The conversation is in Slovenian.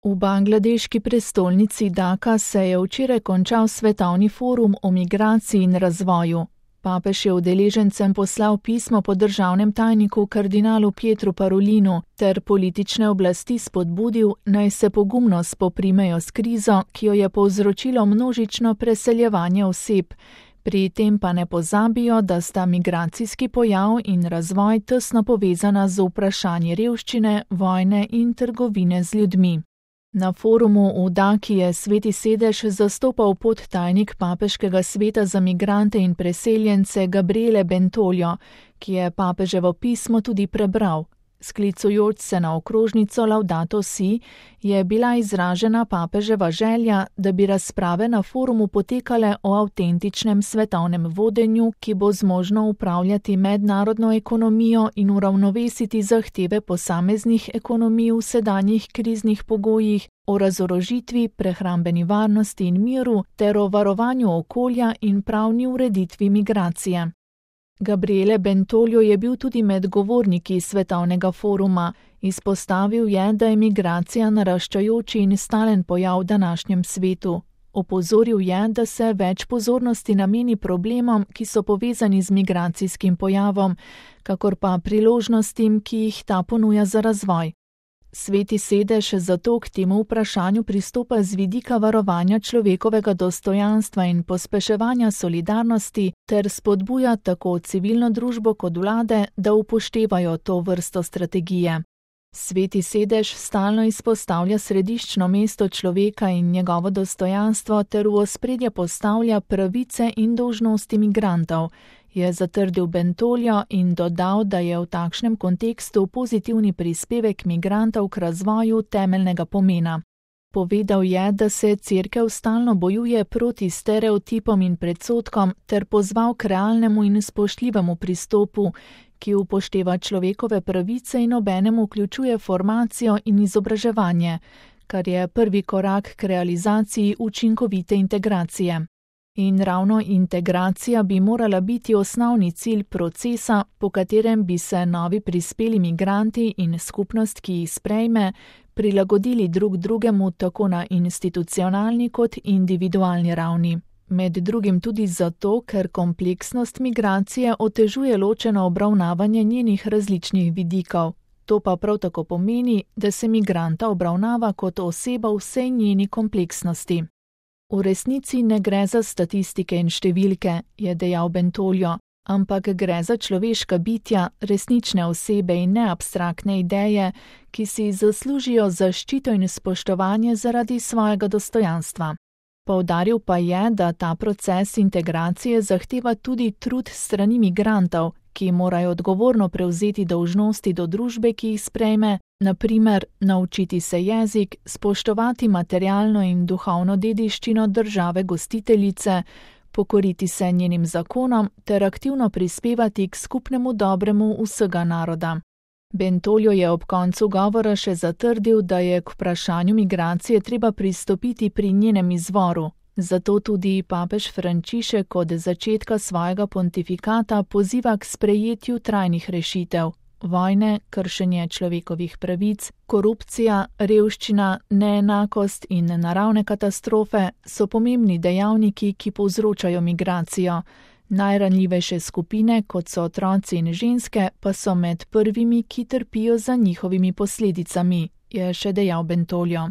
V bangladeški prestolnici Dhaka se je včeraj končal svetovni forum o migraciji in razvoju. Papež je udeležencem poslal pismo po državnem tajniku kardinalu Pietru Parolinu ter politične oblasti spodbudil, naj se pogumno spoprimejo s krizo, ki jo je povzročilo množično preseljevanje oseb. Pri tem pa ne pozabijo, da sta migracijski pojav in razvoj tesno povezana z vprašanji revščine, vojne in trgovine z ljudmi. Na forumu v Dhaki je Sveti sedež zastopal podtajnik Papeškega sveta za migrante in preseljence Gabriele Bentoljo, ki je papeževo pismo tudi prebral. Sklicujoč se na okrožnico Laudato Si, je bila izražena papeževa želja, da bi razprave na forumu potekale o avtentičnem svetovnem vodenju, ki bo zmožno upravljati mednarodno ekonomijo in uravnovesiti zahteve posameznih ekonomij v sedanjih kriznih pogojih, o razorožitvi, prehrambeni varnosti in miru ter o varovanju okolja in pravni ureditvi migracije. Gabriele Bentoljo je bil tudi med govorniki svetovnega foruma. Izpostavil je, da je migracija naraščajoči in stalen pojav v današnjem svetu. Opozoril je, da se več pozornosti nameni problemom, ki so povezani z migracijskim pojavom, kakor pa priložnostim, ki jih ta ponuja za razvoj. Sveti sedež zato k temu vprašanju pristopa z vidika varovanja človekovega dostojanstva in pospeševanja solidarnosti ter spodbuja tako civilno družbo kot vlade, da upoštevajo to vrsto strategije. Sveti sedež stalno izpostavlja središčno mesto človeka in njegovo dostojanstvo ter v ospredje postavlja pravice in dolžnosti migrantov, je zatrdil Bentoljo in dodal, da je v takšnem kontekstu pozitivni prispevek migrantov k razvoju temeljnega pomena. Povedal je, da se Cerkev stalno bojuje proti stereotipom in predsodkom ter pozval k realnemu in spoštljivemu pristopu, ki upošteva človekove pravice in obenem vključuje formacijo in izobraževanje, kar je prvi korak k realizaciji učinkovite integracije. In ravno integracija bi morala biti osnovni cilj procesa, po katerem bi se novi prispeli migranti in skupnost, ki jih sprejme, prilagodili drug drugemu tako na institucionalni kot individualni ravni. Med drugim tudi zato, ker kompleksnost migracije otežuje ločeno obravnavanje njenih različnih vidikov. To pa prav tako pomeni, da se migranta obravnava kot oseba v vsej njeni kompleksnosti. V resnici ne gre za statistike in številke, je dejal Bentoljo, ampak gre za človeška bitja, resnične osebe in ne abstraktne ideje, ki si zaslužijo zaščito in spoštovanje zaradi svojega dostojanstva. Poudaril pa je, da ta proces integracije zahteva tudi trud strani migrantov, ki morajo odgovorno prevzeti dolžnosti do družbe, ki jih sprejme, na primer naučiti se jezik, spoštovati materialno in duhovno dediščino države gostiteljice, pokoriti se njenim zakonom ter aktivno prispevati k skupnemu dobremu vsega naroda. Bentoljo je ob koncu govora še zatrdil, da je k vprašanju migracije treba pristopiti pri njenem izvoru. Zato tudi papež Frančišek od začetka svojega pontifikata poziva k sprejetju trajnih rešitev. Vojne, kršenje človekovih pravic, korupcija, revščina, neenakost in naravne katastrofe so pomembni dejavniki, ki povzročajo migracijo. Najranljivejše skupine, kot so otroci in ženske, pa so med prvimi, ki trpijo za njihovimi posledicami, je še dejal Bentoljo.